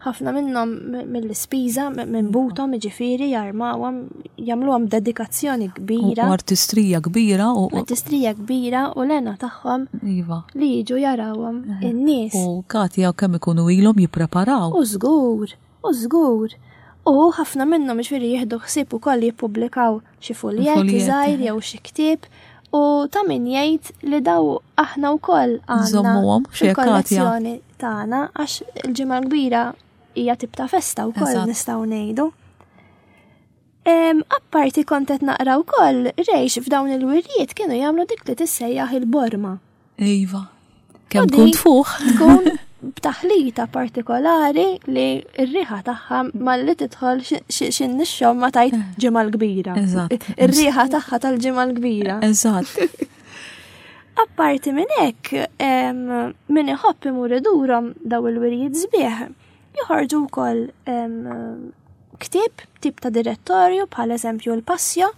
ħafna minnhom mill-ispiża, minn buthom, jiġifieri jarmawhom, jagħmluhom b'dedikazzjoni kbira. U artistrija kbira u artistrija kbira u l-hena tagħhom iva. li jiġu jarawhom in-nies. U Katja kemm ikunu ilhom jippreparaw. U żgur. U żgur. U ħafna minnhom ġifieri jieħdu ħsieb ukoll jippubblikaw xi fuljett żgħir jew xi ktieb u ta' min jgħid li daw aħna wkoll għandna fil-kollezzjoni tagħna għax il-ġimgħa kbira hija tip ta' festa wkoll nistgħu ngħidu. Apparti kont qed naqra wkoll rejx f'dawn il-wirjiet kienu jagħmlu dik li tissejjaħ il-borma. Iva. Kemm tkun tfuħ. Tkun b'taħlita partikolari li r-riħa tagħha malli tidħol xi nixxom ma tajt eh. ġimgħa l-kbira. Eżatt. Ir-riħa tagħha tal-ġimgħa l-kbira. Eżatt. Apparti minn hekk, min iħobb imur idurhom daw il-wirjiet sbieħ, joħorġu wkoll ktieb, tip ta' direttorju bħal eżempju l-Passio,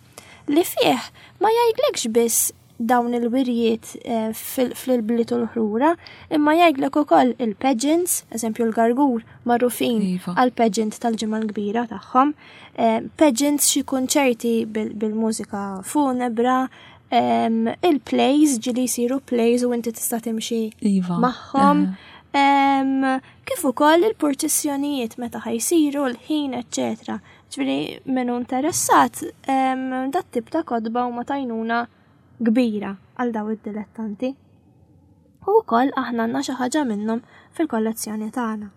li fih ma jgħidlekx biss dawn il-wirjiet eh, fil-bliet u l-ħrura, imma jgħidlek ukoll il-pageants, eżempju l-gargur magħrufin iva. għal pageant tal-ġimgħa l-kbira tagħhom, eh, pageants xi kunċerti bil-mużika funebra, il-plays ġili jsiru plays u inti tista' timxi iva. magħhom. Eh. Kif ukoll il-purċissjonijiet meta ħajsiru, l-ħin, eċċetera. Ġifieri min hu interessat dat tip ta' kotba huma tajnuna kbira għal daw id-dilettanti. U wkoll aħna għandna xi ħaġa minnhom fil-kollezzjoni tagħna.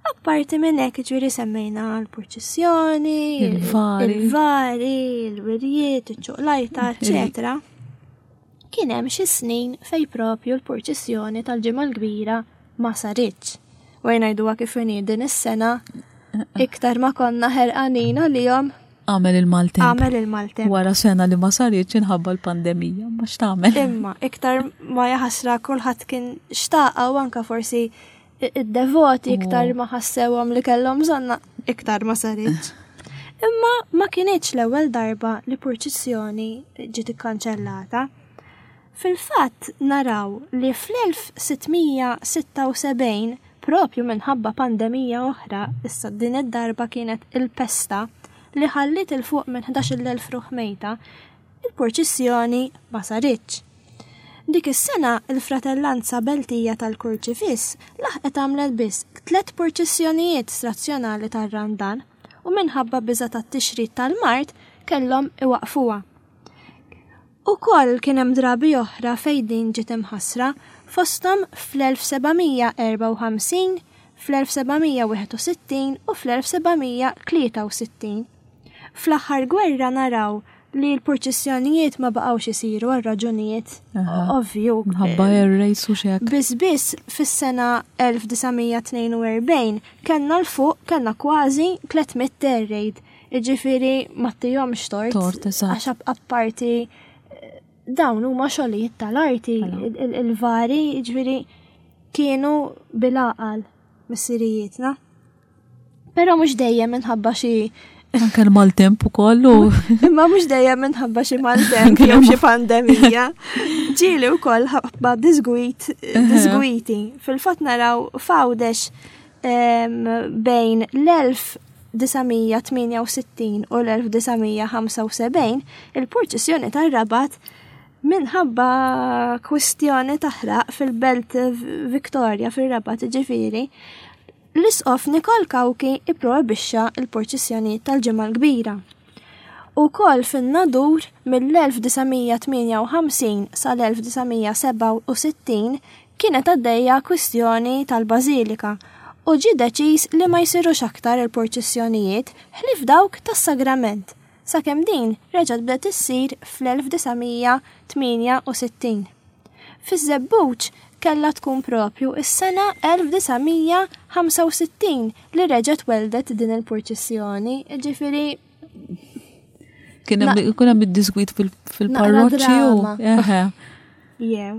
Apparti minn hekk ġifieri semmejna l-purċissjoni, il-vari, il-wirjiet, iċ-ċuqlajta, eċetera. Kien hemm xi snin fejn propju l-purċissjoni tal-Ġimgħa l-Kbira ma saritx. U ngħiduha kif inhi din is-sena iktar ma konna ħerqanin għalihom. Għamel il-maltemp. Għamel il-maltemp. Wara sena li ma saritx inħabba l-pandemija, ma x'tagħmel. Imma iktar ma jaħasra kulħadd kien xtaqa u anka forsi id-devoti iktar ma ħassewhom li kellhom bżonna iktar ma saritx. Imma ma kinitx l-ewwel darba li purċissjoni ġiet ikkanċellata. Fil-fatt naraw li fl-1676 propju minħabba pandemija oħra, issa din id-darba kienet il-pesta li ħalliet 'il fuq minn 11,000 ruħ mejta, il-purċissjoni ma saritx. Dik is-sena il-Fratellanza Beltija tal-Kurċifiss laħqet għamlet biss tlett purċissjonijiet strazzjonali tar-Randan u minħabba biża' tat-tixrid tal-mard kellhom iwaqqfuha. Ukoll kien hemm drabi oħra fejn din ġiet imħassra, fosthom fl-1754, fl-1761 u fl-1763. Fl-aħħar gwerra naraw li l-purċissjonijiet ma baqgħux isiru għal raġunijiet ovvju. Minħabba air race u xek. Biss biss fis-sena 1942 kellna l-fuq kellna kważi 300 air raid. Iġifieri ma tihomx tort. Tort, eżatt. Għax apparti eh, dawn huma xogħlijiet tal-arti, mela. il-vari, jiġifieri kienu bil-għaqal missirijietna. Però mhux dejjem minħabba xi Anke l-maltemp ukoll u. Imma mhux dejjem minħabba xi maltemp jew xi pandemija. Ġieli wkoll ħabba disgwit, disgwiti. Fil-fatt naraw f'Għawdex bejn l-1968 u l-1975 il-purċissjoni tar-Rabat minħabba kwistjoni taħraq fil-belt Victoria fir-Rabat ġifieri L-Isqof Nikol Cauchi ipprojbixxa l-purċissjonijiet tal-Ġimgħa l-Kbira. Ukoll fin-Nadur mill-1958 sal-1967 kienet għaddejja kwistjoni tal-bażilika u ġie deċiż li ma jsirux aktar il-purċissjonijiet ħlief dawk tas-Sagrament, sakemm din reġgħet bdiet issir fl-1968. Fiż-Żebbuġ kellha tkun propju s-sena 1965 li reġgħet welldet din il-purċissjoni, jiġifieri Kien hemm id-disgwit fil-parroċċi u. Jew.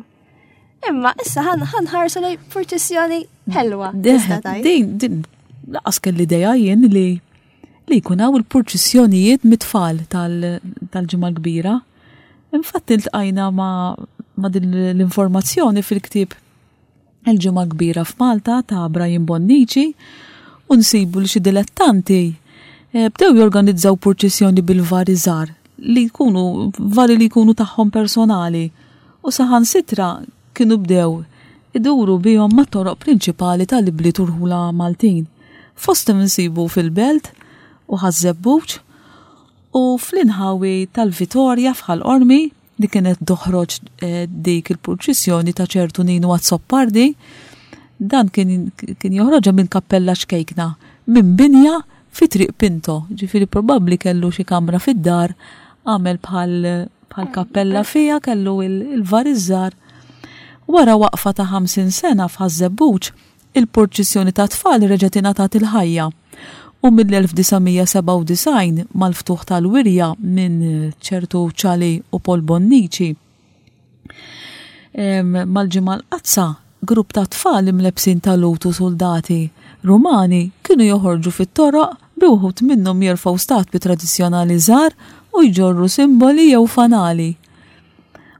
Imma issa ħanħarsu lej purċissjoni ħelwa. Din, din, laqas kelli idea jien li li jkun hawn il-purċissjonijiet mit-tfal tal-ġimgħa kbira. Infatti ltqajna ma' din l-informazzjoni fil-ktieb Il-Ġimgħa Kbira f'Malta ta' Brian Bonnici u nsibu li xi dilettanti eh, bdew jorganizzaw purċissjoni bil-vari żgħar li jkunu vari li jkunu tagħhom personali u saħansitra kienu bdew iduru bihom mat-toroq prinċipali tal-ibliet u rħula Maltin. Fosthom insibu fil-Belt u Ħaż-Żebbuġ u fl-inħawi tal-Vitorja f'Ħal Qormi li kienet toħroġ eh, dik il-purċissjoni ta' ċertu Ninu Azzopardi, dan kien, kien joħroġha minn kappella ċkejkna, minn binja fi triq Pinto, ġifiri probabbli kellu xi kamra fid-dar, għamel bħal bħal kappella fija kellu il-varizzar. Wara waqfa ta' 50 sena f'Ħaż-Żebbuġ, Il-purċissjoni tat-tfal reġgħet ingħatat il-ħajja u mill-1997 mal-ftuħ tal-wirja minn ċertu Ċali u Paul Bonnici mal-Ġimgħa l-Qaddsa, grupp ta' tfal imlebbsin ta' Lhud u suldati Rumani kienu joħorġu fit-toroq bi wħud minnhom jerfgħu statwi tradizzjonali żgħar u jġorru simboli jew fanali.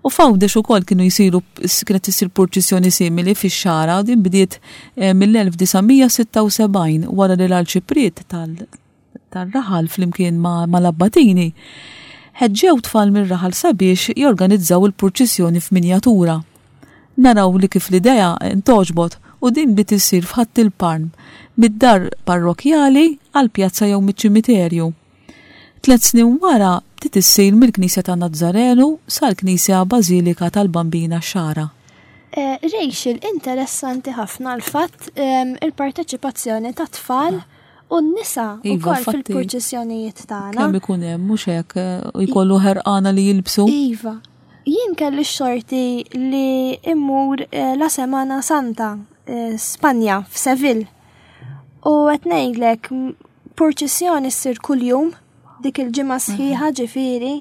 U f'Għawdex ukoll kienu jsiru kienet issir purċissjoni simili fix-Xagħra u din bdiet eh, mill-1976 wara li l-Arċipriet tal-raħal flimkien mal-Abbatini ħeġġew tfal mir-raħal sabiex jorganizzaw il-purċissjoni f'minjatura. Naraw li kif l-idea ntgħoġbot u din bdiet issir f'Ħadd il-Palm, mid-dar parrokkjali għall-pjazza jew miċ-ċimiterju. Tlet snin wara bdiet issir mill-Knisja ta' Nazzarenu sal-Knisja Bażilika tal-Bambina x-Xagħra. Eh, Rachel, interessanti ħafna l-fatt ehm, il-parteċipazzjoni ta' tfal u n-nisa iva, ukoll fil-purċissjonijiet tagħna. Kemm ikun hemm mhux hekk eh, u jkollu ħerqana li jilbsu. Iva. Jien kelli x-xorti li immur eh, la Semana Santa, Spanja, f'Seville. U qed ngħidlek purċissjoni ssir kuljum dik il-ġimgħa sħiħa ġifieri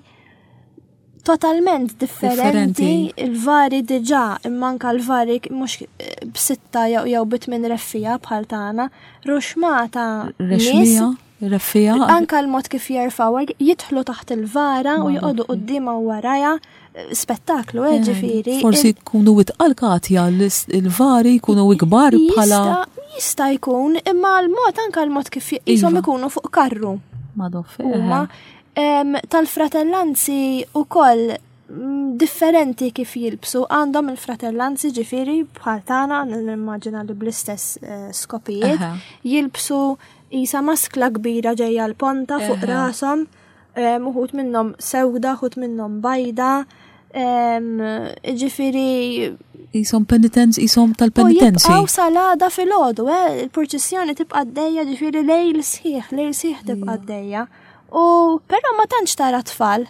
totalment differenti il-vari diġà imma anka l-vari mhux eh, b'sitta jew jew bitmin reffija bħal tagħna, ruxmata nies Reffija. Anka l-mod kif jerfaw jidħlu taħt il-vara u joqogħdu quddiemha u warajha spettaklu, eh, ġifieri. Forsi jkunu itqal Katja, il-vari jkunu ikbar bħala. Jista' jkun, imma l-mod anka l-mod kif jisom iva. ikunu fuq karru. Madoffi. Huma tal-fratellanzi ukoll mm, differenti kif jilbsu għandhom il-fratellanzi ġifieri bħal tagħna nimmaġina li bl-istess eh, skopijiet jilbsu isa maskla kbira ġejja l-ponta fuq rashom uħut minnhom sewda, uħut minnhom bajda, ġifiri. Isom penitenz, isom tal-penitenzi. Għaw salada fil-ħodu, eh, il-purċissjoni tibqa d-dejja ġifiri lejl sħiħ, lejl sħiħ tibqa d-dejja. U però ma tantx tara tfal.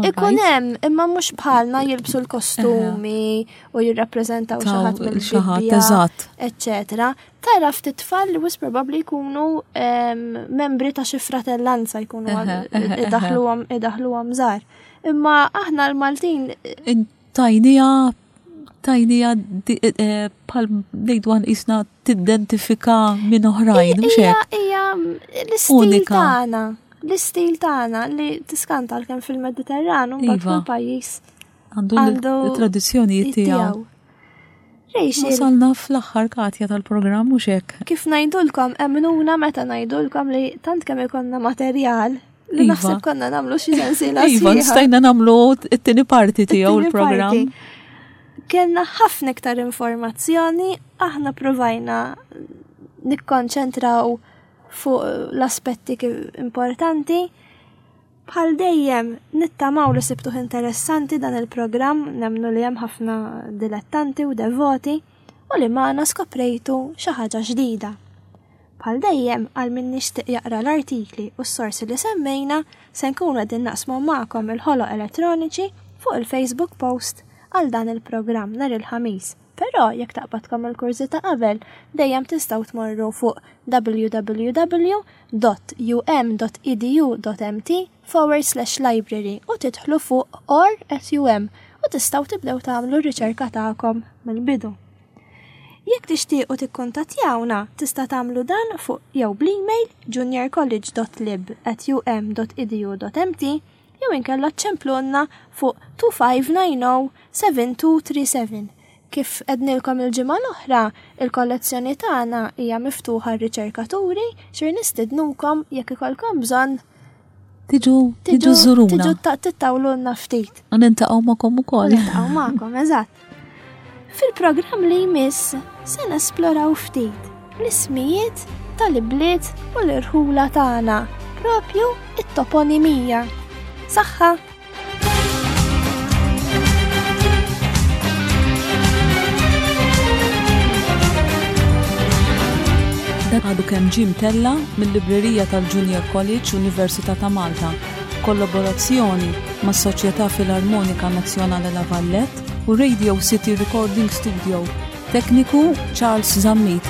Ikun hemm, imma mhux bħalna jilbsu l-kostumi u jirrappreżentaw xi ħadd mill-Bibbja, eċċetera. Tara ftit tfal li wis probabbli jkunu membri ta' xi fratellanza jkunu idaħluhom idaħluhom żgħar. Imma aħna l-Maltin tajnija tajnija eh, eh, bħal ngħidu għan isna tidentifika minn oħrajn, mhux hekk? Hija l-istil tagħna, l-istil tagħna li tiskanta kemm fil-Mediterran u mbagħad iva. kull pajjiż għandu l-tradizzjonijiet tiegħu. Wasalna fl-aħħar Katja tal-programm mhux hekk. Kif ngħidulkom emmnuna meta ngħidulkom li tant kemm ikollna materjal li iva. naħseb konna nagħmlu xi sensiela. Iva, stajna nagħmlu t-tieni parti tiegħu l-programm. Kellna ħafna iktar informazzjoni, aħna provajna nikkonċentraw fuq l-aspetti importanti. Bħal dejjem, nittamaw li sibtuh interessanti dan il-programm, nemmnu li hemm ħafna dilettanti u devoti u li magħna skoprejtu xi ħaġa ġdida. Bħal dejjem, għal min jixtieq jaqra l-artikli u s-sorsi li semmejna, se nkunu qegħdin naqsmu magħkom il-ħoloq elettroniċi fuq il-Facebook post għal dan il-programm nhar il-Ħamis. Però jekk taqbadkom il-kurżità qabel, dejjem tistgħu tmorru fuq www.um.edu.mt forward slash library u tidħlu fuq or at um u tistgħu tibdew tagħmlu r-riċerka tagħkom mill-bidu. Jekk tixtiequ tikkuntattjawna, tista' tagħmlu dan fuq jew bl-email juniorcollege.lib@um.edu.mt jew inkella ċċemplulna fuq 2590 7237. Kif għednilkom il-ġimgħa l-oħra, il-kollezzjoni tagħna hija miftuħa għar-riċerkaturi, xir nistidnukom jekk ikollkom bżonn Tiġu, tiġu żuruna. Tiġu tittawlulna ftit. U nintaqgħu magħkom ukoll. Nintaqgħu magħkom, eżatt. Fil-programm li jmiss se nesploraw ftit l-ismijiet tal-ibliet u l-irħula tagħna, propju it-toponimija. Saħħa! Dan għadu kemm ġie mtella' mil-Librerija tal-Junior College Università ta' Malta b'kollaborazzjoni mas-Soċjetà Filarmonika Nazzjonale La Vallette u Radio City Recording Studio. Tekniku Charles Zammit.